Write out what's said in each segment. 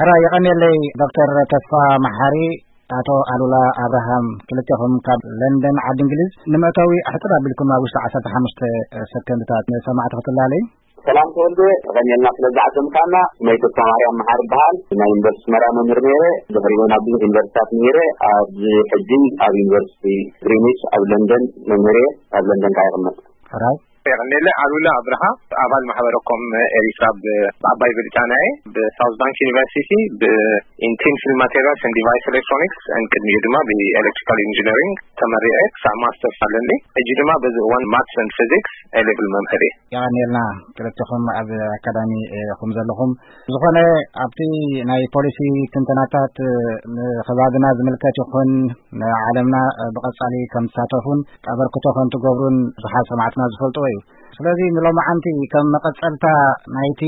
ሕራ የቐንየለይ ዶክተር ተስፋ መሓሪ፣ ኣቶ ኣሉላ ኣብርሃም፣ ክልቴኹም ካብ ለንደን ዓዲ እንግሊዝ። ንመእተዊ ሕጽር ኣቢልኩም ኣብ ውሽጢ ዓሰርተ ሓሙሽተ ሰከንድታት ንሰማዕቲ ክትላለይ። ሰላም ተወልደ፣ ተቐንየልና ስለ ዝዓደምካና። ስመይ ተስፋ ማርያም መሓሪ ይበሃል። ናይ ዩኒቨርሲቲ መራ መምህር ነይረ። ድሕሪኡ ናብ ብዙሕ ዩኒቨርሲታት ነይረ። ኣብዚ ሕጂ ኣብ ዩኒቨርሲቲ ግሪኒች ኣብ ለንደን መምህር እየ። ኣብ ለንደን ከዓ ይቕመጥ። ሕራይ። የቐንየለይ ኣሉላ ኣብርሃ፣ ኣባል ማሕበረ ኮም ኤሪትራ ብ-፣ ብዓባይ ብሪጣንያ እየ። ብሳውዝ ባንክ ዩኒቨርሲቲ ብ-፣ in thin film materials and device electronics and ቅድሚኡ ድማ ብኤሌክትሪካል ኢንጂነሪንግ ተመሪዐ ክሳብ ማስተርስ ኣለኒ። ሕጂ ድማ በዚ እዋን ማትስ and ፊዚክስ ኤ ሌቭል መምህር እየ። የቐንየልና ክልተኹም ኣብ ኣካዳሚ ኢኹም ዘለኹም። ዝኾነ ኣብቲ ናይ ፖሊሲ ትንተናታት ንኸባብና ዝምልከት ይኹን ንዓለምና ብቐጻሊ ከም ትሳተፉን ኣበርክቶ ከም ትገብሩን ብዙሓት ሰማዕትና ዝፈልጥዎ እዩ። ስለዚ ንሎማዓንቲ ከም መቐጸልታ ናይቲ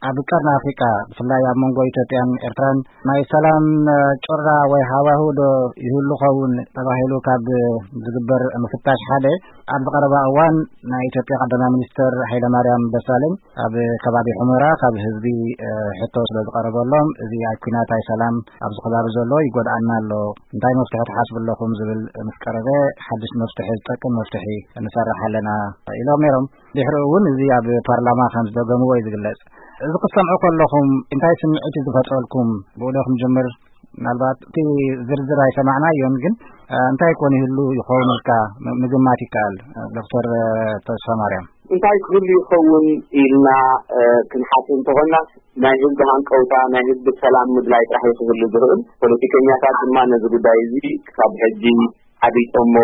ኣብ ቀርኒ ኣፍሪቃ ብፍላይ ኣብ መንጎ ኢትዮጵያን ኤርትራን ናይ ሰላም ጭራ ወይ ሃዋሁ ዶ ይህሉ ኸውን ተባሂሉ ካብ ዝግበር ምፍታሽ ሓደ ኣብዚ ቀረባ እዋን ናይ ኢትዮጵያ ቀዳማይ ሚኒስትር ሃይለማርያም ደሳለኝ ኣብ ከባቢ ሑመራ ካብ ህዝቢ ሕቶ ስለ ዝቐረበሎም እዚ ኣብ ኲናት ኣይ ሰላም ኣብዚ ከባቢ ዘሎ ይጎድኣና ኣሎ፣ እንታይ መፍትሒ ትሓስቡ ኣለኹም ዝብል ምስ ቀረበ ሓድሽ መፍትሒ ዝጠቅም መፍትሒ ንሰርሕ ኣለና ኢሎም ነይሮም። ድሕሪኡ እውን እዚ ኣብ ፓርላማ ከም ዝደገምዎ እዩ ዝግለጽ። እዚ ክትሰምዑ ከለኹም እንታይ ስምዒት እዩ ዝፈጥረልኩም? ብኡ ዶ ክንጅምር? ምናልባት እቲ ዝርዝር ኣይሰማዕናዮን፣ ግን እንታይ ኮን ይህሉ ይኸውን ኢልካ ም-፣ ምግማት ይከኣል። ዶክተር ተስፋ ማርያም። እንታይ ክህሉ ይኸውን ኢልና ክንሓስብ እንተኾንና ናይ ህዝቢ ሃንቀውታ ናይ ህዝቢ ሰላም ምድላይ ጥራሕ እዩ ክህሉ ዝኽእል። ፖለቲከኛታት ድማ ነዚ ጉዳይ እዚ ክሳብ ሕጂ ዓቢጦሞ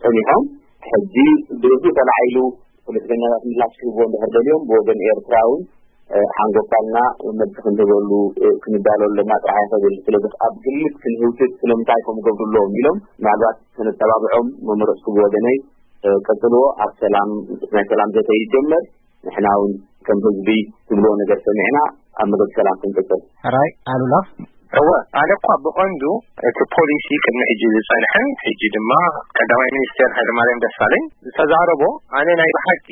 ጸኒሖም። ሕጂ ብህዝቢ ተላዒሉ ፖለቲከኛታት ምላሽ ክህብዎ እንድሕር ደልዮም ብወገን ኤርትራ እውን ሓንጎፋልና መልሲ ክንህበሉ ክንዳሎ ኣለና ጥራሕ ኣይኸብል። ስለዚ ኣብ ግምት ክንህውትት ስለምንታይ ከም ገብሩ ኣለዎም ኢሎም ምናልባት ከነተባብዖም መመረፅኩ ብወገነይ። ቀፅልዎ ኣብ ሰላም ናይ ሰላም ዘተ ይጀመር። ንሕና እውን ከም ህዝቢ ትብልዎ ነገር ሰሚዕና ኣብ መገዲ ሰላም ክንቅፅል። ሕራይ ኣሉላ። እወ ኣነ እኳ ብቐንዱ እቲ ፖሊሲ ቅድሚ ሕጂ ዝፀንሐን ሕጂ ድማ ቀዳማይ ሚኒስቴር ሃይለማርያም ደሳለኝ ዝተዛረቦ ኣነ ናይ ብሓቂ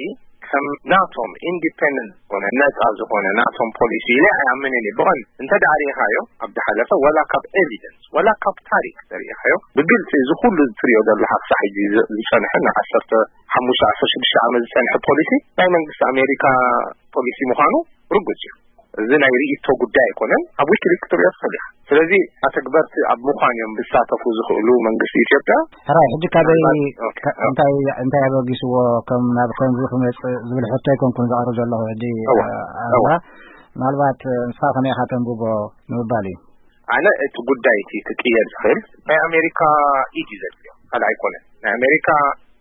ከም ናቶም ኢንዲፔንደንት ዝኾነ ነፃ ዝኾነ ናቶም ፖሊሲ ኢለ ኣይኣምንን እየ። ብቐንዱ እንተ ደኣ ርኢኻዮ ኣብ ዝሓለፈ ወላ ካብ ኤቪደንስ ወላ ካብ ታሪክ ተሪኢኻዮ ብግልፂ እዚ ኩሉ ትሪኦ ዘለኻ ክሳብ ሕጂ ዝ-፣ ዝፀንሐ ንዓሰርተ ሓሙሽተ ዓሰርተ ሽዱሽተ ዓመት ዝፀንሐ ፖሊሲ ናይ መንግስቲ ኣሜሪካ ፖሊሲ ምዃኑ ርጉፅ እዩ። እዚ ናይ ርእይቶ ጉዳይ ኣይኮነን። ኣብ ዊኪሊክስ ክትሪኦ ትኽእል ኢኻ። ስለዚ ኣተግበርቲ ኣብ ምዃን እዮም ዝሳተፉ ዝኽእሉ መንግስቲ ኢትዮጵያ። ሕራይ፣ ሕጂ ካበይ ምናልባት፣ ኦኬ፣ ከ-፣ ኦኬ። እንታይ፣ እንታይ ኣበጊስዎ ከም ናብ ከምዚ ክመጽእ ዝብል ሕቶ ኣይኮንኩን ዘቕርብ ዘለኹ ሕጂ፣ እወ፣ እ፣ እወ። ኣሉላ። ምናልባት፣ እ፣ ንስኻ ከመይ ኢኻ ተንብቦ ንምባል እዩ። ኣነ እቲ ጉዳይ እቲ ክቅየር ዝኽእል ናይ ኣሜሪካ ኢድ እዩ ዘድልዮ፣ ካልእ ኣይኮነን። ናይ ኣሜሪካ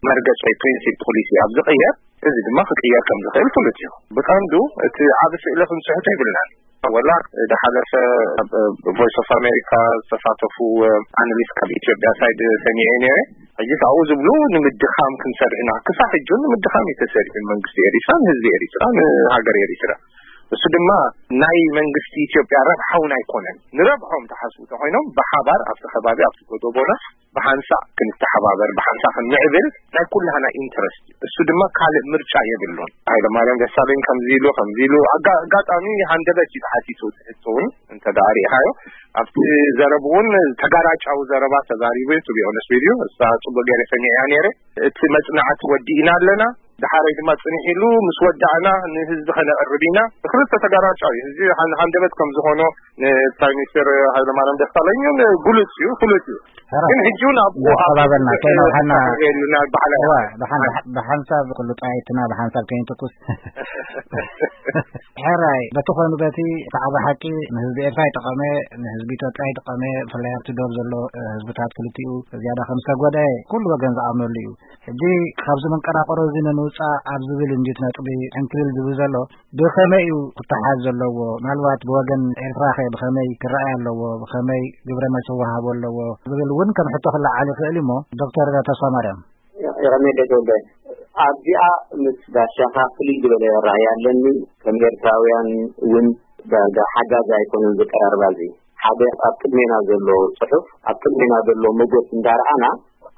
መርገጽ ወይ ፕሪንሲፕ ፖሊሲ ኣብ ዝቕየር፣ እዚ ድማ ክቅየር ከም ዝኽእል ፍሉጥ እዩ። ብቐንዱ እቲ ዓቢ ስእሊ ክንስሕቶ ይብልናን። ወላ ዝሓለፈ ኣብ ቮይስ ኦፍ ኣሜሪካ ዝተሳተፉ ኣናሊስት ካብ ኢትዮጵያ ሳይድ ሰሚዐ ነይረ። ሕጂ ኣብኡ ዝብሉ ንምድኻም ክንሰርሕ ኢና። ክሳብ ሕጂ ንምድኻም እዩ ተሰሪሑ መንግስቲ ኤሪትራ፣ ንህዝቢ ኤሪትራ፣ ንሃገር ኤሪትራ። እሱ ድማ ናይ መንግስቲ ኢትዮጵያ ረብሓ እውን ኣይኮነን። ንረብሖም ተሓስቡ ተኮይኖም ብሓባር ኣብቲ ከባቢ ኣብቲ ጎደቦና ብሓንሳእ ክንተሓባበር፣ ብሓንሳእ ክንምዕብል ናይ ኩላህና ኢንትረስት እዩ። እሱ ድማ ካልእ ምርጫ የብሉን። ሃይለማርያም ደሳለኝ ከምዚ ኢሉ፣ ከምዚ ኢሉ፣ ኣጋ-፣ ኣጋጣሚ ሃንደበት እዩ ተሓቲቱ፣ ትሕቶ እውን እንተ ደኣ ርኢኻዮ። ኣብቲ ዘረብ እውን ተጋራጫዊ ዘረባ ተዛሪቡ እዩ፣ to be honest with you። እሳ ጽቡቅ ገይረ ሰሚዐያ ነይረ። እቲ መጽናዕቲ ወዲእና ኣለና፣ ደሓረይ ድማ ጽንሕ ኢሉ ምስ ወዳእና ንህዝቢ ከነቕርብ ኢና። ክልተ ተጋራጫዊ እዩ። ህዝቢ ሃን-፣ ሃንደበት ከም ዝኾኖ ንፕራይም ሚኒስተር ሃይለማርያም ደሳለኝን ግሉጽ እዩ፣ ፍሉጥ እዩ። ሕራይ። ግን ሕጂ እውን ኣብኡ ኣብ እናተባበልና፣ ከይነውሐና። የሉና በዓል እዋ፣ ብሓን-፣ ብሓ-፣ ብሓንሳብ ኩሉ ጣይትና ብሓንሳብ ከይንትኩስ። ሕራይ፣ በቲ ኾይኑ በቲ እቲ ዓቢ ሓቂ ንህዝቢ ኤርትራ ይጠቐመ፣ ንህዝቢ ኢትዮጵያ ይጠቐመ፣ ብፍላይ ኣብቲ ዶብ ዘሎ፣ እ፣ ህዝብታት ክልቲኡ ዝያዳ ከም ዝተጎድአ ኩሉ ወገን ዝኣምነሉ እዩ። ሕጂ ካብዚ መንቀራቕሮ እዚ ንምውጻእ ኣብ ዝብል እንዲት ነጥቢ ዕንክሊል ዝብል ዘሎ ብኸመይ እዩ ክተሓዝ ዘለዎ? ምናልባት ብወገን ኤርትራ ኸ ብኸመይ ክረኣይ ኣለዎ? ብኸመይ ግብረ መልሲ ክወሃቦ ኣለዎ? ዝብል እውን ከም ሕቶ ክለዓል ይኽእል እዩ እሞ፣ ዶክተር ተስፋ ማርያም። የቐንየለይ ተወልደ። ኣብዚኣ ምስ ጋሻኻ ፍልይ ዝበለ ራእይ ኣለኒ። ከም ኤርትራውያን እውን ዳርጋ ሓጋዚ ኣይኮነን ዘቀራርባ እዚ። ሓደ ኣብ ቅድሜና ዘሎ ጽሑፍ፣ ኣብ ቅድሜና ዘሎ መጎት እንዳረኣና፣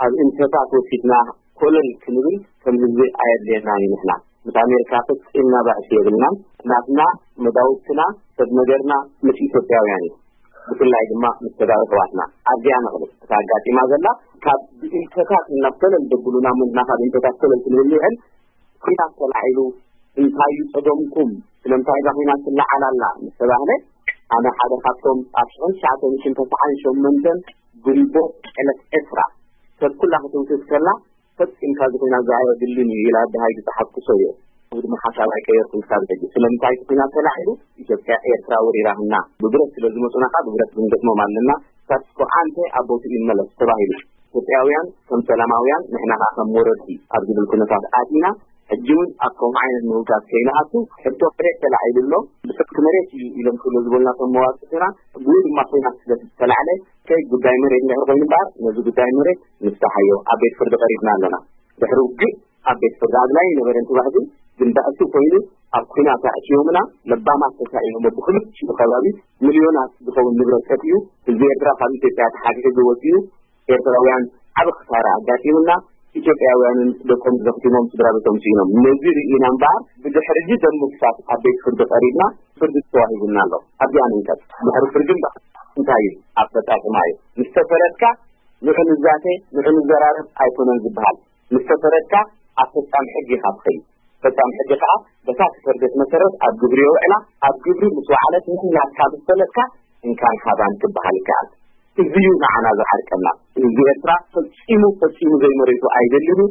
ኣብ እንተታት ወሲድና ኮለል ክንብል ከም ህዝቢ ኣየድልየናን እዩ። ንሕና ምስ ኣሜሪካ ፈጺምና ባእሲ የብልናን። ናትና መዳውብትና ሰብ ነገርና ምስ ኢትዮጵያውያን እዩ። ብፍላይ ድማ ምስ ተጋሩ ኣሕዋትና ኣብዚኣ ነቕልብ። እታ ኣጋጢማ ዘላ ካብ ብኢንተታት እናፍተለል ደብሉና ምንና ካብ ኢንተታት ፈለል ክንብል ንውዕል። ኲናት ተላዒሉ እንታይ እዩ ጸገምኩም? ስለምንታይ እዛ ኲናት ትለዓል ኣላ? ምስ ተባህለ ኣነ ሓደ ካብቶም ኣብ ሽሕን ትሽዓተ ሚእትን ተስዓን ሸሞንተን ግንቦት ዕለት ዕስራ ሰብ ኩላ ክትውትት ከላ ፈጺምካ እዚ ኲናት እዚ ኣየድልን እዩ ኢላ ብሃይሊ ዝጸሓፍኩ ሰብ እየ። እዚ ድማ ሓሳብ ኣይቀየርኩን ክሳብ ሕጂ። ስለምንታይ እቲ ኲናት ተላዒሉ? ኢትዮጵያ ኤርትራ ወሪራትና። ብብረት ስለ ዝመጹና ከኣ ብብረት ክንገጥሞም ኣለና። ስታትስ ኮ ኣንተ ኣብ ቦትኡ ይመለስ ተባሂሉ። ኢትዮጵያውያን ከም ሰላማውያን ንሕና ከኣ ከም ወረርቲ ኣብ ዝብል ኩነታት ኣቲና ሕጂ እውን ኣብ ከምኡ ዓይነት ምህውታት ከይንኣቱ ሕቶ መሬት ተላዒሉ ኣሎ። ብሰብቲ መሬት እዩ ኢሎም ክብሎ ዝበሉና ከም መዋጽእትና ብኡ ድማ ኲናት ስለ ዝተላዕለ ከይ ጉዳይ መሬት እንድሕር ኮይኑ እምበኣር ነዚ ጉዳይ መሬት ንፍታሓዮ፣ ኣብ ቤት ፍርዲ ቀሪብና ኣለና። ድሕሪ ውግእ ኣብ ቤት ፍርዲ ኣድላይ ነበረ እንትባህሉ ግን ባእሲ ኮይኑ ኣብ ኲናት ኣእትዮምና። ለባማት ተሳኢኖም ብክልቲኡ ከባቢ ሚልዮናት ዝኸውን ንብረት ጠፊኡ። ህዝቢ ኤርትራ ካብ ኢትዮጵያ ተሓግሒጉ ወፂኡ። ኤርትራውያን ዓቢ ክሳራ ኣጋጢሙና። ኢትዮጵያውያንን ደቆም ዘኽቲሞም ስድራ ቤቶም ስኢኖም። ነዚ ርኢና እምበኣር ብድሕሪ እዚ ደም ምፍሳስ ኣብ ቤት ፍርዲ ቀሪብና ፍርዲ ተዋሂቡና ኣሎ። ኣብዚኣ ንንቀጥ። ድሕሪ ፍርዲ እምበኣር እንታይ እዩ ኣፈጻጽማ እዩ? ምስ ተፈረድካ ንዑ ንዛተ ንዑ ንዘራረብ ኣይኮነን ዝበሃል። ምስ ተፈረድካ ኣብ ፈጻሚ ሕጊ ኢኻ ትኸይድ። ፈጻሚ ሕጊ ከኣ በታ ተፈርደት መሰረት ኣብ ግብሪ የውዕላ። ኣብ ግብሪ ምስ ወዓለት ንሕና ካብ ዝፈለጥካ እንካን ሃባን ክበሃል ይከኣል። እዚ እዩ ንዓና ዝዓርቀና። ህዝቢ ኤርትራ ፈጺሙ ፈጺሙ ዘይመሬቱ ኣይደልን እዩ።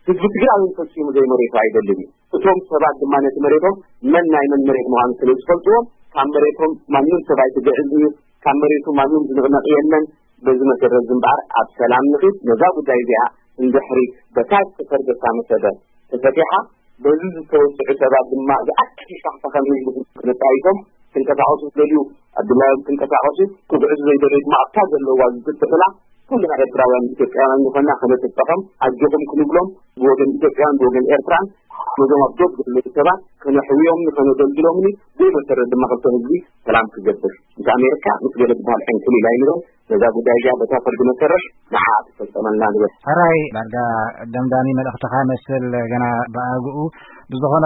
ህዝቢ ትግራይ እውን ፈጺሙ ዘይመሬቱ ኣይደልን እዩ። እቶም ሰባት ድማ ነቲ መሬቶም መን ናይ መን መሬት ምዃኑ ስለ ዝፈልጥዎም ካብ መሬቶም ማንም ሰብ ኣይትግዕዝ እዩ። ካብ መሬቱ ማንም ዝንቕነቕ የለን። በዚ መሰረት ዝንበኣር ኣብ ሰላም ንኺድ። ነዛ ጉዳይ እዚኣ እንድሕሪ በታ ዝተፈርደታ መሰረት ተፈቲሓ በዚ ዝተወስዑ ሰባት ድማ ዝኣክል ሻሕታ ከም ህዝቢ ክንጣይሶም ክንቀሳቐሱ ዝደልዩ ኣብ ድላዮም ክንቀሳቐሱ ክግዕዙ ዘይደልዩ ድማ ኣብታ ዘለዋ ዝግጥዕላ ኩልና ኤርትራውያን ኢትዮጵያውያን ዝኾንና ከነጥጠሖም ኣጆኹም ክንብሎም ብወገን ኢትዮጵያን ብወገን ኤርትራን ነዞም ኣብ ዶብ ዘለዉ ሰባት ከነሕውዮምን ከነደልድሎምን ብኡ መሰረት ድማ ክልተ ህዝቢ ሰላም ክገብር ምስ ኣሜሪካ ምስ ገለ ዝበሃል ዕንክሊል ኣይንበል። ነዛ ጉዳይ እዚኣ በታ ፍርዲ መሰረት ንዓ ትፈጸመልና ንብል። ሕራይ ዳርጋ ደምዳሚ መልእኽትኻ መስል ገና ብኣግኡ ብዝኾነ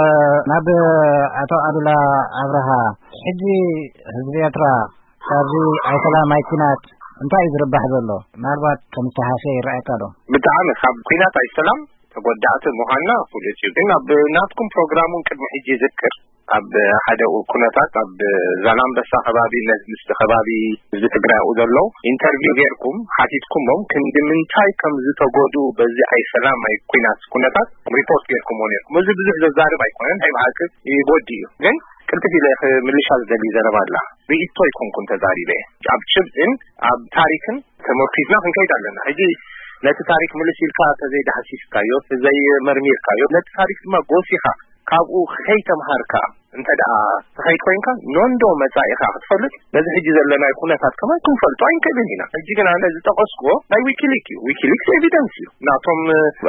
ናብ ኣቶ ኣሉላ ኣብርሃ ሕጂ ህዝቢ ኤርትራ ካብዚ ኣይሰላም ኣይኩናት እንታይ እዩ ዝርባሕ ዘሎ? ምናልባት ከም ዝተሃሰ ይረኣየካ ዶ? ብጣዕሚ ካብ ኩናት ኣይሰላም ተጎዳእቲ ምዃንና ፍሉጥ እዩ። ግን ኣብ ናትኩም ፕሮግራም እውን ቅድሚ ሕጂ ይዝክር ኣብ ሓደ ኩነታት ኣብ ዛላምበሳ ከባቢ ነዚ ምስቲ ከባቢ ህዝቢ ትግራይ ኣብኡ ዘሎ ኢንተርቪው ጌርኩም ሓቲትኩሞም ክንዲ ምንታይ ከም ዝተጎድኡ በዚ ኣይሰላም ኣይ ኩናት ኩነታት ሪፖርት ጌርኩሞ ኔርኩም። እዚ ብዙሕ ዘዛርብ ኣይኮነን፣ ናይ ብሓቂ ይጎዲ እዩ። ግን ቅልጥፍ ኢለ ምልሻ ዝደሊ ዘረባ ኣላ። ርእይቶ ኣይኮንኩን ተዛሪበ። ኣብ ጭብጥን ኣብ ታሪክን ተመርኪዝና ክንከይድ ኣለና። ሕጂ ነቲ ታሪክ ምልስ ኢልካ ተዘይዳህሲስካዮ ተዘይመርሚርካዮ ነቲ ታሪክ ድማ ጎሲኻ ካብኡ ከይተምሃርካ እንተ ደኣ ትኸይድ ኮይንካ ኖንዶ መጻኢኻ ክትፈልጥ ነዚ ሕጂ ዘለናይ ኩነታት ከማን ክንፈልጦ ኣይንክእልን ኢና። ሕጂ ግን ኣነ ዝጠቐስኩዎ ናይ ዊኪሊክ እዩ። ዊኪሊክስ ኤቪደንስ እዩ። ናቶም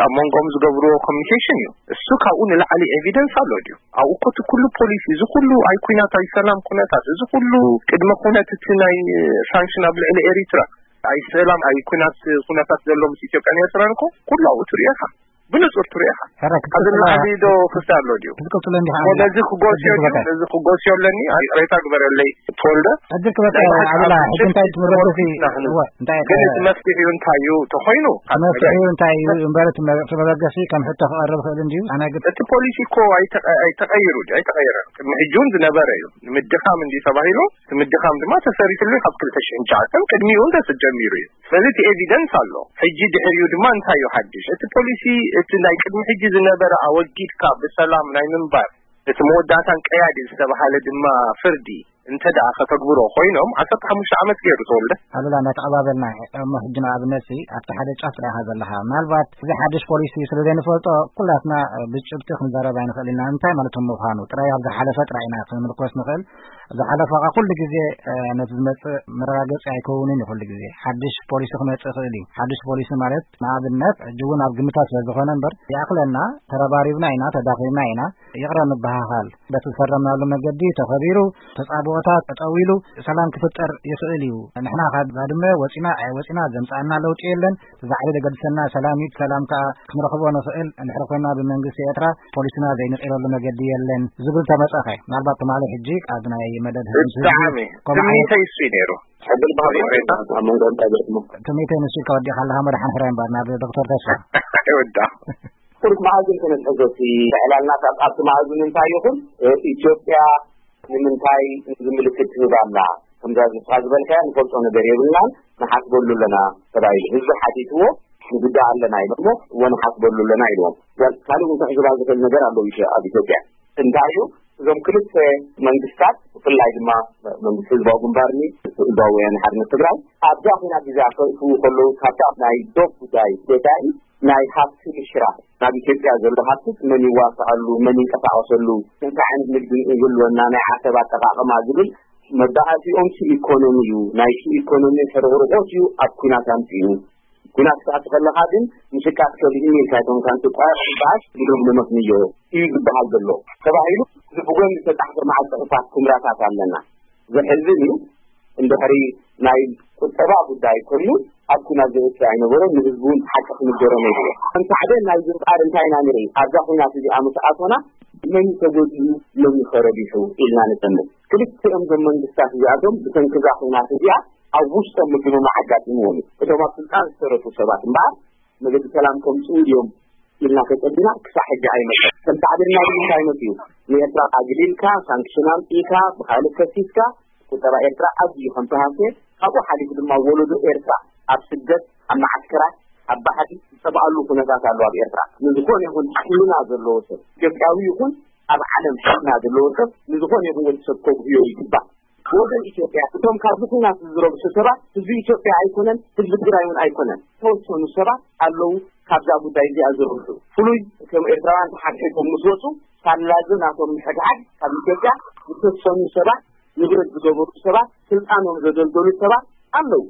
ኣብ መንጎም ዝገብርዎ ኮሚኒኬሽን እዩ። እሱ ካብኡ ንላዕሊ ኤቪደንስ ኣሎ ድዩ? ኣብኡ እኮ እቲ ኩሉ ፖሊሲ፣ እዚ ኩሉ ኣይ ኩናት ኣይ ሰላም ኩነታት፣ እዚ ኩሉ ቅድመ ኩነት እቲ ናይ ሳንክሽን ኣብ ልዕሊ ኤሪትራ ኣይ ሰላም ኣይ ኩናት ኩነታት ዘሎ ምስ ኢትዮጵያን ኤርትራን እኮ ኩሉ ኣብኡ ትሪኦ ኢኻ። ብንጹር ትሪኦ ኢኻ። ሕራይ ኣብዚ ክትቅጽላ ንላዕሊ ዶ ክፍተ ኣሎ ድዩ? ክትቅጽሎ እንዲኻ እሞ ኣሉላ። ነዚ ክጎስዮ ዕድል ድዩ? ክበካ። ነዚ ክጎስዮ ኣለኒ? ይቕሬታ ግበረለይ ተወልደ። ዕድል ክበካ ናይ ብሓቂ ኣሉላ። ኣብ ሕጂ እንታይ ጭብጢ ትምረዱ ሲ-? ተመርኪስና ክንብል። እወ፣ እንታይ ግን ከ-? እቲ መፍትሒኡ እንታይ እዩ ተኾይኑ? እቲ መፍትሒኡ እንታይ እዩ? እምበር እቲ መ-፣ እቲ መበገሲ ከም ሕቶ ክቐርብ ይኽእል እንድዩ። ኣነ ግን እቲ ፖሊሲ እኮ ኣይተቐ-፣ ኣይተቐይሩ ድዩ? ኣይተቐየረን። ቅድሚ ሕጂ እውን ዝነበረ እዩ። ንምድኻም እንድዩ ተባሂሉ፣ እቲ ምድኻም ድማ ተሰሪሕሉ ካብ ክልተ ሽሕን ትሽዓተን ቅድሚኡ እውን ተጀሚሩ እዩ። ስለዚ እቲ ኤቪደንስ ኣሎ። ሕጂ ድሕሪኡ ድማ እንታይ እዩ ሓድሽ? እቲ ፖሊሲ፣ እቲ ናይ ቅድሚ ሕጂ ዝነበረ ኣወጊድካ ብሰላም ናይ ምንባር፣ እቲ መወዳእታን ቀያዲ ዝተባሃለ ድማ ፍርዲ እንተ ደኣ ከተግብሮ ኮይኖም፣ ዓሰርተ ሓሙሽተ ዓመት ገይሩ ተወልደ። ኣሉላ፣ እንዳተቐባበልና እሞ፣ ሕጂ ንኣብነት ሲ ኣብቲ ሓደ ጫፍ ጥራይ ኢኻ ዘለኻ። ምናልባት እዚ ሓድሽ ፖሊሲ ስለ ዘይንፈልጦ፣ ኩላትና ብጭብጢ ክንዛረብ ኣይንኽእል ኢና። እንታይ ማለት ምዃኑ ጥራይ ኣብ ዝሓለፈ ጥራይ ኢና ክንምርኮስ ንኽእል። ዝሓለፈ ከኣ ኩሉ ግዜ፣ እ፣ ነቲ ዝመጽእ መረጋገጺ ኣይከውንን እዩ። ኩሉ ግዜ ሓድሽ ፖሊሲ ክመጽእ ይኽእል እዩ። ሓድሽ ፖሊሲ ማለት ንኣብነት ሕጂ እውን ኣብ ግምታት ስለ ዝኾነ እምበር ይኣኽለና፣ ተረባሪብና ኢና፣ ተዳኺምና ኢና፣ ይቕረ ንበሃሃል። በቲ ዝፈረምናሉ መገዲ ተኸቢሩ ተጻብኦ ቦታ ጠጠው ኢሉ ሰላም ክፍጠር ይኽእል እዩ። ንሕና ካብ ባድመ ወፂና ኣይወፂና ዘምፃና ለውጢ የለን። እዛ ዓሊ ዘገድሰና ሰላም እዩ። ሰላም ከዓ ክንረኽቦ ንኽእል እንድሕር ኮይና ብመንግስቲ ኤርትራ ፖሊስና ዘይንቕይረሉ መገዲ የለን ዝብል ተመፀኸ። ምናልባት ትማሊ ሕጂ ኣብ ናይ መደብ ህዝቢ ብጣዕሚ ከምኡ ዓይነት ትምኒተይ እሱ እዩ ነይሩ። ሕብል ባህሪ ኣብ መንጎ እንታይ ገጥሞ ትምኒተይ ንሱ ኢልካ ወዲእካ ኣለካ። መድሓን ሕራይ እምበር ናብ ዶክተር ተስፋ ይወዳ ቁሩብ መኣዝን ተነጥሕዞ እቲ ዕላልና ካብ ኣብቲ መኣዝን እንታይ ይኹን ኢትዮጵያ ንምንታይ እዚ ምልክት ትህብ ኣላ? ከምዛ ዝስኻ ዝበልካያ ንፈልጦ ነገር የብልናን ንሓስበሉ ኣለና ተባሂሉ ህዝቢ ሓቲትዎ ንጉዳእ ኣለና ኢሎሞ እዎ ንሓስበሉ ኣለና ኢልዎም። ካልእ እውን ክሕስባ ዝኽእል ነገር ኣለዉ ኣብ ኢትዮጵያ እንታይ እዩ? እዞም ክልተ መንግስታት ብፍላይ ድማ መንግስቲ ህዝባዊ ግንባርኒ ህዝባዊ ወያነ ሓርነት ትግራይ ኣብዛ ኩናት እዚኣ ከእትዉ ከለዉ ካብታ ናይ ዶብ ጉዳይ ወፃኢ ናይ ሃብቲ ምሽራፍ ናብ ኢትዮጵያ ዘሎ ሃብትስ መን ይዋስዐሉ፣ መን ይንቀሳቀሰሉ፣ እንታይ ዓይነት ንግዲ ይህልወና፣ ናይ ዓሰብ ኣጠቃቅማ ዝብል መባእሲኦም ሲ ኢኮኖሚ እዩ። ናይ ሲ ኢኮኖሚ ሕርቕርቆት እዩ ኣብ ኩናት ኣምፅኡ። ኩናት ክትኣቱ ከለካ ግን ምሽቃት ከሊእኒ ኢልካ እቶም ካንቲ ቋ በዓስ ብሎም ንመክንዮ እዩ ዝበሃል ዘሎ ተባሂሉ እዚ ብጎኒ ዝተፃሕፈ መዓል ፅሑፋት ትምራታት ኣለና። ዘሕዝን እዩ። እንድሕሪ ናይ ቁጠባ ጉዳይ ኮይኑ ኣብ ኩናት ዘእቱ ኣይነበሮን። ንህዝቢ እውን ሓቂ ክንገሮ ነይርዎ። ከም ሳዕቤን ናይ ዝንጣር እንታይ ኢና ንርኢ? ኣብዛ ኩናት እዚኣ ምስ ኣቶና መን ተጎዲኡ መን ተረቢሑ ኢልና ንጠምት። ክልቲኦም ዞም መንግስታት እዚኣቶም ብሰንኪ እዛ ኩናት እዚኣ ኣብ ውሽጦም ምግምማዕ ኣጋጢምዎም እዩ። እቶም ኣብ ስልጣን ዝተረፉ ሰባት እምበኣር መገዲ ሰላም ከምፅኡ እዮም ኢልና ተፀቢና ክሳዕ ሕጂ ኣይመፀን። ከም ሳዕቤን ናይ እንታይ መፅኡ? ንኤርትራ ኣግሊልካ ሳንክሽን ኣምፂእካ ብካልእ ከሲስካ ቁጠባ ኤርትራ ኣዝዩ ከም ተሃስየ ካብኡ ሓሊፉ ድማ ወለዶ ኤርትራ ኣብ ስደት ኣብ መዓስከራት ኣብ ባሕሪ ዝጠብኣሉ ኩነታት ኣሎ ኣብ ኤርትራ። ንዝኾነ ይኹን ሕልና ዘለዎ ሰብ ኢትዮጵያዊ ይኹን ኣብ ዓለም ሕልና ዘለዎ ሰብ ንዝኾነ ይኹን ወዲ ሰብ ከጉህዮ ይግባእ። ወገን ኢትዮጵያ እቶም ካብዚ ኩናት ዝረብሑ ሰባት ህዝቢ ኢትዮጵያ ኣይኮነን፣ ህዝቢ ትግራይ እውን ኣይኮነን። ተወሰኑ ሰባት ኣለዉ ካብዛ ጉዳይ እዚኣ ዝረብሑ ፍሉይ ከም ኤርትራውያን ተሓድሒጎም ምስ ወፁ ሳላዚ ናቶም ምሕድሓድ ካብ ኢትዮጵያ ዝተወሰኑ ሰባት ንብረት ዝገበሩ ሰባት ስልጣኖም ዘደልደሉ ሰባት ኣለዉ።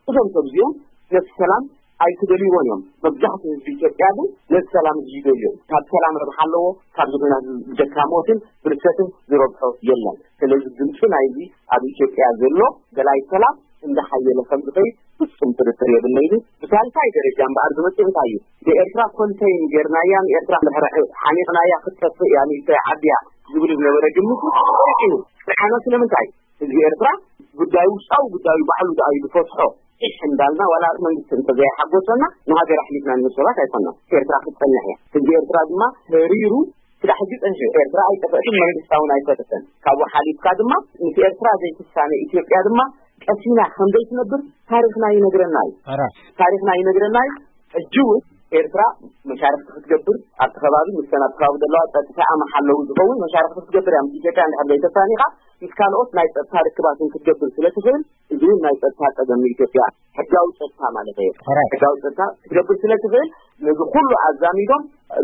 እዞም ሰብ እዚኦም ነቲ ሰላም ኣይክደልይዎን እዮም። መብዛሕትኡ ህዝቢ ኢትዮጵያ ግን ነቲ ሰላም እዚ ይደልዮ። ካብ ሰላም ረብሓ ኣለዎ፣ ካብ ዝኹናት ብጀካ ሞትን ብርሰትን ዝረብሖ የለን። ስለዚ ድምፂ ናይዚ ኣብ ኢትዮጵያ ዘሎ ደላይ ሰላም እንዳሓየለ ከም ዝኸይድ ፍጹም ጥርጥር የብለይን። ብሳልሳይ ደረጃ እምበኣር ዝመፅእ እንታይ እዩ? ብኤርትራ ኮንተይን ጌርናያ ንኤርትራ ድሕሪ ሓኒቕናያ ክትጠፍእ እያ ንኢስተይ ዓብያ ዝብል ዝነበረ ግምት እዩ። ንዓና ስለምንታይ ህዝቢ ኤርትራ ጉዳዩ ውሽጣዊ ጉዳዩ ባዕሉ ደኣ እዩ ዝፈትሖ። ዒሕ እንዳልና ዋላ መንግስቲ እንተዘይሓጎሰና ንሃገር ኣሕሊፍና ንህብ ሰባት ኣይኮና። ኤርትራ ክትጸንሕ እያ። ህዝቢ ኤርትራ ድማ ተሪሩ ክዳ ሕጂ ጸንሑ። ኤርትራ ኣይጠፈእትን መንግስታ እውን ኣይፈረሰን። ካብኡ ሓሊፍካ ድማ ምስ ኤርትራ ዘይትሳነ ኢትዮጵያ ድማ ቀሲና ከም ዘይትነብር ታሪኽና ይነግረና እዩ። ሕራይ ታሪኽና ይነግረና እዩ። ሕጂ እውን ኤርትራ መሻርክቲ ክትገብር ኣብቲ ከባቢ ምስተን ኣብቲ ከባቢ ዘለዋ ጸጥታ ኣመሓለዊ ዝኸውን መሻርክቲ ክትገብር እያ። ምስ ኢትዮጵያ እንድሕር ዘይተሳኒኻ ምስ ካልኦት ናይ ጸጥታ ርክባትን ክትገብር ስለ ትኽእል እዚ እውን ናይ ጸጥታ ጸገም ንኢትዮጵያ ሕጋዊ ጸጥታ ማለት እየ። ሕራይ ሕጋዊ ጸጥታ ክትገብር ስለ ትኽእል ነዚ ኩሉ ኣዛሚዶም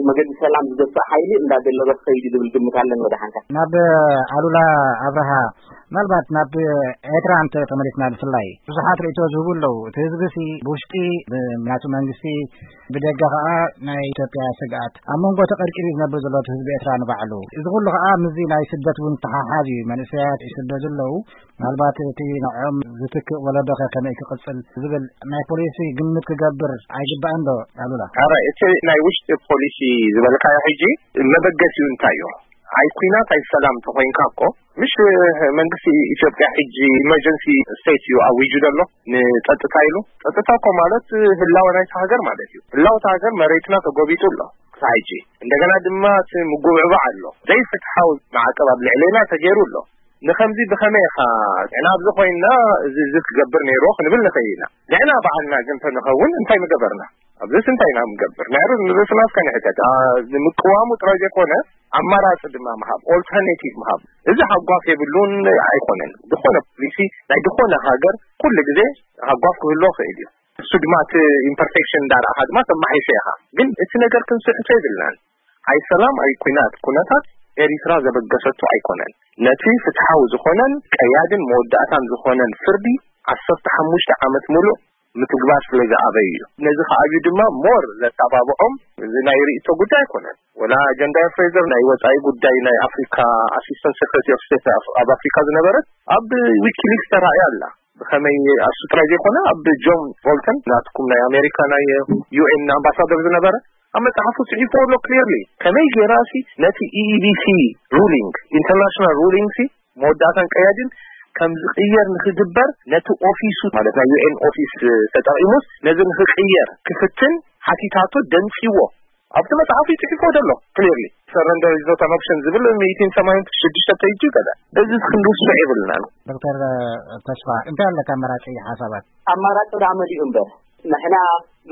መገዲ ሰላም ዝገፍእ ሓይሊ እንዳደለበ ክኸይድ እዩ ዝብል ግምት ኣለኒ። ወደ ሓንካ ናብ ኣሉላ ኣብርሃ ምናልባት ናብ ኤርትራ እንተ ተመሊስና ብፍላይ ብዙሓት ርእቶ ዝህቡ ኣለዉ። እቲ ህዝቢ ሲ ብውሽጢ ብናቱ መንግስቲ ብደገ ከዓ ናይ ኢትዮጵያ ስግኣት ኣብ መንጎ ተቐርቂሩ ዝነብር ዘሎ እቲ ህዝቢ ኤርትራ ንባዕሉ እዚ ኩሉ ከዓ ምስዚ ናይ ስደት እውን ተሓሓዝ እዩ። መንእሰያት ይስደዱ ኣለዉ። ምናልባት እቲ ንዕኦም ዝትክእ ወለዶ ከ ከመይ ክቕጽል ዝብል ናይ ፖሊሲ ግምት ክገብር ኣይግባእን ዶ ኣሉላ? ኣረ እቲ ናይ ውሽጢ ፖሊሲ ዝበልካዮ ሕጂ መበገሲኡ እንታይ እዩ? ኣይ ኩናት ኣይ ሰላም ተኮይንካ እኮ ምሽ መንግስቲ ኢትዮጵያ ሕጂ ኢመርጀንሲ ስቴት እዩ ኣዊጁ ዘሎ ንጸጥታ ኢሉ። ጸጥታ እኮ ማለት ህላወ ናይቲ ሃገር ማለት እዩ። ህላወ እቲ ሃገር መሬትና ተጎቢጡ ኣሎ ክሳብ ሕጂ። እንደገና ድማ እቲ ምጉብዕባዕ ኣሎ። ዘይፍትሓዊ ማዕቀብ ኣብ ልዕሌና ተገይሩ ኣሎ። ንኸምዚ ብኸመይ ኢኻ ንሕና ኣብዚ ኮይንና እዚ እዚ ክገብር ነይርዎ ክንብል ንኽእል ኢና። ንሕና ባዕልና ግን እንተንኸውን እንታይ ምገበርና? ኣብዚስ እንታይ ኢና ምገብር? ንዕርስ ንርእስና እስከ ንሕተት። ኣ፣ ንምቅዋሙ ጥራይ ዘይኮነ ኣማራፂ ድማ ምሃብ፣ ኦልተርኔቲቭ ምሃብ። እዚ ሃጓፍ የብሉን ኣይኮነን። ዝኾነ ፖሊሲ ናይ ዝኾነ ሃገር ኩሉ ግዜ ሃጓፍ ክህልዎ ክእል እዩ። እሱ ድማ እቲ ኢምፐርፌክሽን እንዳረኣኻ ድማ ተማሒሾ ኢኻ። ግን እቲ ነገር ክንስሕቶ የብልናን። ኣይ ሰላም ኣይ ኩናት ኩነታት ኤሪትራ ዘበገሰቶ ኣይኮነን። ነቲ ፍትሓዊ ዝኾነን ቀያድን መወዳእታን ዝኾነን ፍርዲ ዓሰርተ ሓሙሽተ ዓመት ሙሉእ ምትግባር ስለ ዝኣበዩ እዩ። ነዚ ከኣብዩ ድማ ሞር ዘተባብዖም እዚ ናይ ርእይቶ ጉዳይ ኣይኮነን። ወላ ኣጀንዳ ፍሬዘር ናይ ወጻኢ ጉዳይ ናይ ኣፍሪካ ኣሲስታንት ሴክሬታሪ ኦፍ ስቴት ኣብ ኣፍሪካ ዝነበረት ኣብ ዊኪሊክስ ተራእያ ኣላ። ብኸመይ ኣብ ጥራይ ዘይኮነ ኣብ ጆን ቦልተን ናትኩም ናይ ኣሜሪካ ናይ ዩ ኤን ኣምባሳደር ዝነበረ ኣብ መጽሓፉ ጽሒፍዎ ኣሎ ክሊርሊ። ከመይ ጌራ ሲ ነቲ ኢኢቢሲ ሩሊንግ ኢንተርናሽናል ሩሊንግ ሲ መወዳእታን ቀያድን ከም ዝቕየር ንክግበር ነቲ ኦፊሱ ማለት ናይ ዩ ኤን ኦፊስ ተጠቒሙስ ነዚ ንክቕየር ክፍትን ሓቲታቶ ደንጺዎ ኣብቲ መጽሓፉ ይጽሒፎ ዘሎ ክሊርሊ። ሰረንደር ኢዝ ኖት ኣን ኦፕሽን ዝብል ሚእትን ሰማንያን ሽዱሽተ ፔጅ ገለ እዚ ክንድውስሶ የብልናን። ዶክተር ተስፋ እንታይ ኣለካ ኣመራጺ ሓሳባት? ኣማራጭ ዳ መሊኡ እምበር ንሕና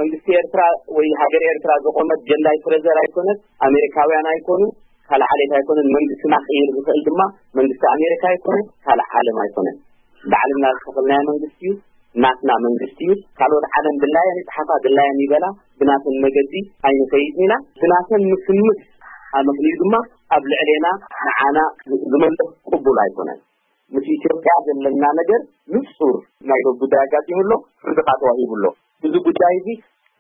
መንግስቲ ኤርትራ ወይ ሃገር ኤርትራ ዘቆመት ጀንዳይ ፍሬዘር ኣይኮነት፣ ኣሜሪካውያን ኣይኮኑ፣ ካልእ ዓሌት ኣይኮነን። መንግስትና ክቕይር ዝኽእል ድማ መንግስቲ ኣሜሪካ ኣይኮነን፣ ካልእ ዓለም ኣይኮነን። ባዕልና ዝተኸልናዮ መንግስቲ እዩ፣ ናትና መንግስቲ እዩ። ካልኦት ዓለም ድላየን ይጽሓፋ ድላየን ይበላ፣ ብናተን መገዲ ኣይንኸይድን ኢና። ብናተን ምስምስ ኣመኽንዩ ድማ ኣብ ልዕሌና ንዓና ዝመልስ ቅቡል ኣይኮነን። ምስ ኢትዮጵያ ዘለና ነገር ንጹር ናይ ዶብ ጉዳይ ኣጋጢሙ ኣሎ፣ ፍርድኻ ተዋሂቡ ኣሎ። እዚ ጉዳይ እዚ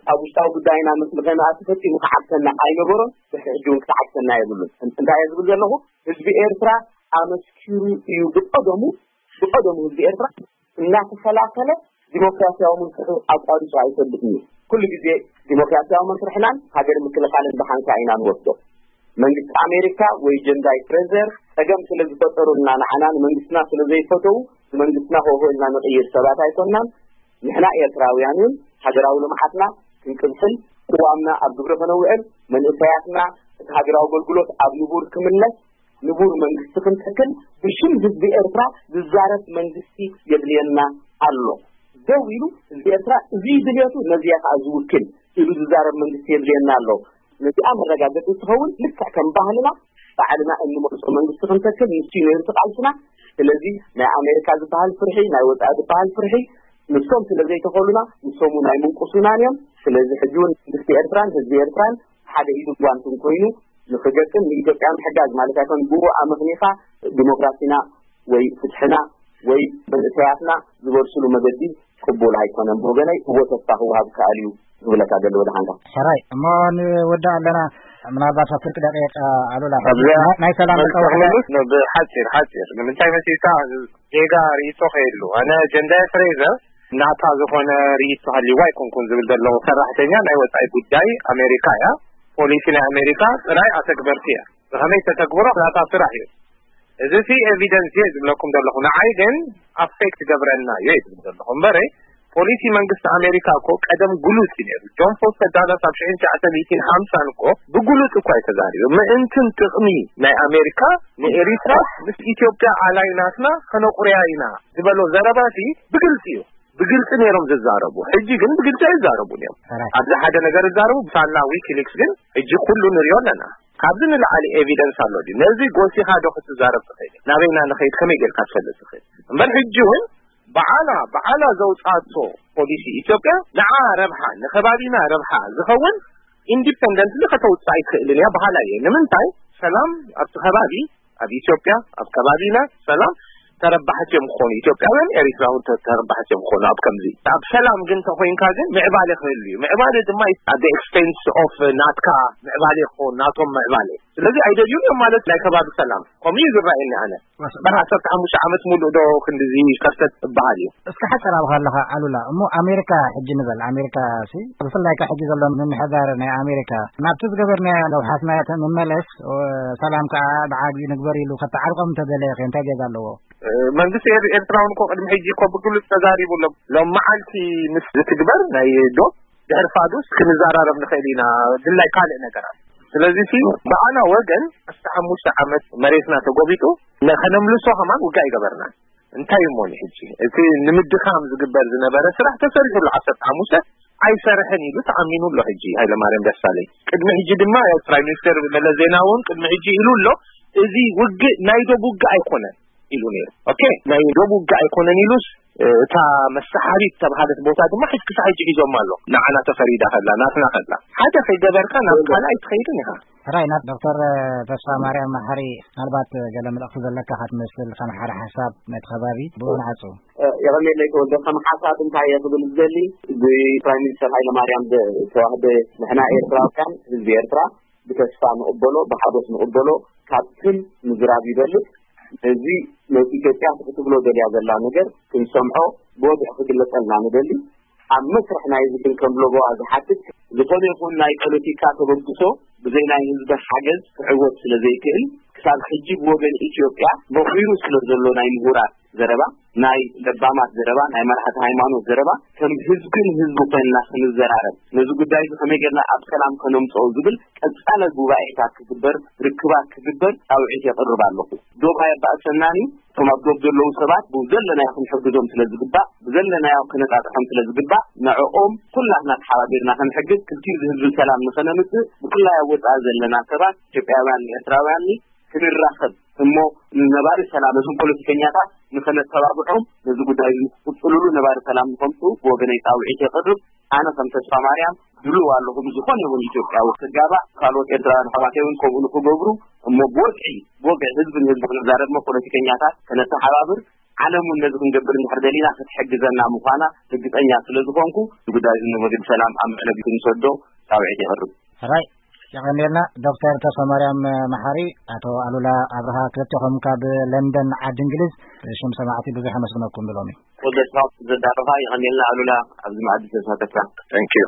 ኣብ ውሽጣዊ ጉዳይና ምስ ንኸንኣቱ ፈጺሙ ክዓግተና ኣይነበሮን፣ ድሕሪ ሕጂ እውን ክትዓግተና የብሉን። እንታይ እየ ዝብል ዘለኹ? ህዝቢ ኤርትራ ኣመስኪሩ እዩ ብቐደሙ ብቐደሙ ህዝቢ ኤርትራ እናተኸላኸለ ዲሞክራሲያዊ መስርሑ ኣቋሪጹ ኣይፈልጥን እዩ። ኩሉ ግዜ ዲሞክራሲያዊ መስርሕናን ሃገር ምክልኻልን ብሓንሳ ኢና ንወስዶ። መንግስቲ ኣሜሪካ ወይ ጀንዳይ ፍሬዘር ጸገም ስለ ዝፈጠሩልና ንዓና ንመንግስትና ስለ ዘይፈተዉ ንመንግስትና ሆሆ ኢልና ንቕይር ሰባት ኣይኮንናን። ንሕና ኤርትራውያን እውን ሃገራዊ ልምዓትና ክንቅጽል ቅዋምና ኣብ ግብሪ ከነውዕል መንእሰያትና እቲ ሃገራዊ ኣገልግሎት ኣብ ንቡር ክምለስ ንቡር መንግስቲ ክንተክል ብሽም ህዝቢ ኤርትራ ዝዛረብ መንግስቲ የድልየና ኣሎ። ደው ኢሉ ህዝቢ ኤርትራ እዚ ድልየቱ ነዚያ ከዓ ዝውክል ኢሉ ዝዛረብ መንግስቲ የድልየና ኣሎ። ነዚኣ መረጋገፂ ትኸውን ልክዕ ከም ባህልና ባዕልና እንመርፆ መንግስቲ ክንተክል ንሱ ነይሩ ቃልስና። ስለዚ ናይ ኣሜሪካ ዝበሃል ፍርሒ ናይ ወፃኢ ዝበሃል ፍርሒ ንሶም ስለ ዘይተኸሉና ንሶም እውን ኣይምንቁሱናን እዮም። ስለዚ ሕጂ እውን መንግስቲ ኤርትራን ህዝቢ ኤርትራን ሓደ ኢዱ ጓንትን ኮይኑ ንክገጥም ንኢትዮጵያ ምሕጋዝ ማለት ኣይኮን። ብኡ ኣመኽኒኻ ዲሞክራሲና ወይ ፍትሕና ወይ መንእሰያትና ዝበርሱሉ መገዲ ቅቡል ኣይኮነን። ብወገነይ እዎ ተስፋ ክወሃብ ከኣል እዩ ክብለካ ደሊ ወደ ሓንካ። ሕራይ እሞ ንወዳ ኣለና ምናልባት ኣብ ፍርቂ ደቂቕ ኣሉላ ኣብዚኣ ናይ ሰላም መልሲ መፀዋዕታ ክምልስ ብሓፂር ሓፂር ንምንታይ መሲልካ ጌጋ ርእይቶ ከየሉ ኣነ ጀንዳ ፍሬዘር ናታ ዝኾነ ርእይቶ ሃልይዋ ኣይኮንኩን ዝብል ዘለኹ። ሰራሕተኛ ናይ ወጻኢ ጉዳይ ኣሜሪካ እያ። ፖሊሲ ናይ ኣሜሪካ ጥራይ ኣተግበርቲ እያ። ብኸመይ ተተግብሮ ናታ ስራሕ እዩ። እዚ ሲ ኤቪደንስ እየ ዝብለኩም ዘለኹ። ንዓይ ግን ኣፌክት ገብረና እዩ ዝብል ዘለኹ እምበረ ፖሊሲ መንግስቲ ኣሜሪካ እኮ ቀደም ግሉጽ እዩ ነይሩ። ጆን ፎስተር ዳላስ ኣብ ሽሕን ትሽዓተ ሚእትን ሓምሳን እኮ ብግሉጽ እኮ እዩ ተዛሪቡ። ምእንትን ጥቕሚ ናይ ኣሜሪካ ንኤሪትራ ምስ ኢትዮጵያ ኣላይ ናትና ከነቑርያ ኢና ዝበሎ ዘረባ ሲ ብግልጺ እዩ። ብግልጺ ነይሮም ዝዛረቡ። ሕጂ ግን ብግልጺ ኣይዛረቡን እዮም። ሕራይ። ኣብዚ ሓደ ነገር ዝዛረቡ ብሳላ ዊኪሊክስ ግን ሕጂ ኩሉ ንሪኦ ኣለና። ካብዚ ንላዕሊ ኤቪደንስ ኣሎ ድዩ? ነዚ ጎሲኻ ዶ ክትዛረብ ትኽእል? ናበይና ንኸይድ ከመይ ጌርካ ትፈልጥ ትኽእል? እምበር ሕጂ እውን በዓላ በዓላ ዘውጻቶ ፖሊሲ ኢትዮጵያ ንዓ ረብሓ ንከባቢና ረብሓ ዝኸውን ኢንዲፐንደንትሊ ከተውጽእ ኣይትኽእልን እያ በሃላ እየ። ንምንታይ ሰላም ኣብቲ ከባቢ ኣብ ኢትዮጵያ ኣብ ከባቢና ሰላም ተረባሕቲ እዮም ክኾኑ ኢትዮጵያውያን ኤሪትራውን ተ- ተረባሕቲ እዮም ክኾኑ። ኣብ ከምዚ ኣብ ሰላም ግን ተኮይንካ ግን ምዕባለ ክህሉ እዩ። ምዕባለ ድማ at the expense of ናትካ ምዕባለ ክኾን ናቶም ምዕባለ ስለዚ ኣይደልዩን እዮም ማለት ናይ ከባቢ ሰላም ከምኡ እዩ ዝረኣየኒ ኣነ። በራ ዓሰርተ ሓሙሽተ ዓመት ሙሉእ ዶ ክንድዚ ከርተት እበሃል እዩ። እስከ ሓፂር ኣብ ከለኻ ኣሉላ እሞ ኣሜሪካ ሕጂ ንበል ኣሜሪካ ሲ ብፍላይ ከ ሕጂ ዘሎ ምምሕዳር ናይ ኣሜሪካ ናብቲ ዝገበርናዮ ለውሓትና ምመለስ ሰላም ከዓ ብዓቢ ንግበር ኢሉ ከተዓርቆም እንተደለየ ከ እንታይ ጌጋ ኣለዎ? መንግስቲ ኤር- ኤርትራ እውን እኮ ቅድሚ ሕጂ እኮ ብግሉፅ ተዛሪቡ ኣሎ። ሎም መዓልቲ ምስ ዝትግበር ናይ ዶ ድሕሪ ፋዱስ ክንዘራረብ ንኽእል ኢና ድላይ ካልእ ነገራት። ስለዚ ሲ ብኣና ወገን ዓሰርተ ሓሙሽተ ዓመት መሬትና ተጎቢጡ ነ- ከነምልሶ ከማን ውጋ ይገበርና። እንታይ እሞ ሕጂ እቲ ንምድኻም ዝግበር ዝነበረ ስራሕ ተሰሪሑ ኣሎ። ዓሰርተ ሓሙሽተ ኣይሰርሕን ኢሉ ተኣሚኑ ኣሎ። ሕጂ ሃይለማርያም ደሳለኝ ቅድሚ ሕጂ ድማ ፕራይም ሚኒስተር መለስ ዜናዊ እውን ቅድሚ ሕጂ ኢሉ ኣሎ። እዚ ውግእ ናይ ዶብ ውግእ ኣይኮነን ኢሉ ነይሩ። ኦኬ ናይ ዶብ ውግእ ኣይኮነን ኢሉስ እታ መሳሓቢት ተባሃለት ቦታ ድማ ሕጂ ክሳብ ሕጂ ሒዞማ ኣሎ። ንዓና ተፈሪዳ ከላ ናትና ከላ ሓደ ከይገበርካ ናብ ካልኣይ ትኸይድን ኢኻ። ሕራይ ናብ ዶክተር ተስፋ ማርያም መሓሪ፣ ምናልባት ገለ መልእኽቲ ዘለካ ክትመስል፣ ከም ሓደ ሓሳብ ነቲ ከባቢ ብኡ ንዓጹ። የቐኔለይ ተወልደ፣ ከም ሓሳብ እንታይ እየ ክብል ዝደሊ፣ ብፕራይም ሚኒስተር ሃይለ ማርያም ዝተዋህበ፣ ንሕና ኤርትራውያን ህዝቢ ኤርትራ ብተስፋ ንቕበሎ፣ ብሓጎስ ንቕበሎ፣ ካብትን ምዝራብ ይበልጽ። እዚ ነቲ ኢትዮጵያ ክትብሎ ደልያ ዘላ ነገር ክንሰምዖ፣ ብወግዒ ክግለጸልና ንደሊ። ኣብ መስርሕ ናይ እዚ ክንከም ሎጎዋ ዝሓትት ዝኾነ ይኹን ናይ ፖለቲካ ተበግሶ ብዘይ ናይ ህዝቢ ሓገዝ ክዕወት ስለ ዘይክእል፣ ክሳብ ሕጂ ብወገን ኢትዮጵያ በኺሩ ስለ ዘሎ ናይ ምሁራት ዘረባ፣ ናይ ለባማት ዘረባ፣ ናይ መራሕቲ ሃይማኖት ዘረባ፣ ከም ህዝብን ህዝቢ ኮይንና ክንዘራረብ፣ ነዚ ጉዳይ እዚ ከመይ ጌርና ኣብ ሰላም ከነምጽኦ ዝብል ቀጻለ ጉባኤታት ክግበር፣ ርክባት ክግበር ጻውዒት የቕርብ ኣለኹ። ዶብ ኣየባእሰናን እዩ። እቶም ኣብ ዶብ ዘለዉ ሰባት ብዘለናዮ ክንሕግዞም ስለ ዝግባእ፣ ብዘለናዮ ክነጣጥሖም ስለ ዝግባእ፣ ንዕኦም ኩላትና ተሓባቢርና ክንሕግዝ፣ ክልቲኡ ዝህዝቢ ሰላም ንኸነምጽእ፣ ብፍላይ ኣብ ወጻኢ ዘለና ሰባት፣ ኢትዮጵያውያን፣ ኤርትራውያን፣ ክንራኸብ እሞ፣ ንነባሪ ሰላም፣ ነዞም ፖለቲከኛታት ንኸነተባብዖም፣ ነዚ ጉዳይ እዚ ንክቕጽልሉ፣ ነባሪ ሰላም ንኸምጽኡ ብወገነይ ጻውዒት የቕርብ። ኣነ ከም ተስፋ ማርያም ድሉው ኣለኹ፣ ብዝኾነ ይኹን ኢትዮጵያዊ ክጋባእ፣ ካልኦት ኤርትራውያን ኣሕዋተይ እውን ከምኡ ንክገብሩ፣ እሞ ብወግዒ፣ ብወግዒ ህዝቢ ንህዝቢ ክንዛረብ፣ እሞ ፖለቲከኛታት ከነተሓባብር፣ ዓለም እውን ነዚ ክንገብር እንድሕር ደሊና ክትሕግዘና ምዃና ርግጸኛ ስለ ዝኾንኩ፣ እዚ ጉዳይ እዚ ንመገዲ ሰላም ኣብ መዕለቢ ክንሰዶ ጻውዒት የቕርብ። ሕራይ፣ የቐንየልና ዶክተር ተስፋ ማርያም መሓሪ፣ ኣቶ ኣሉላ ኣብርሃ፣ ክልቴኹም ካብ ለንደን ዓዲ እንግሊዝ፣ ብሽም ሰማዕቲ ብዙሕ ኣመስግነኩም ብሎሚ። ወደስኻ ዘዳረኻ የቐንየልና ኣሉላ፣ ኣብዚ መኣዲ ዝተሳተፍካ። Thank you።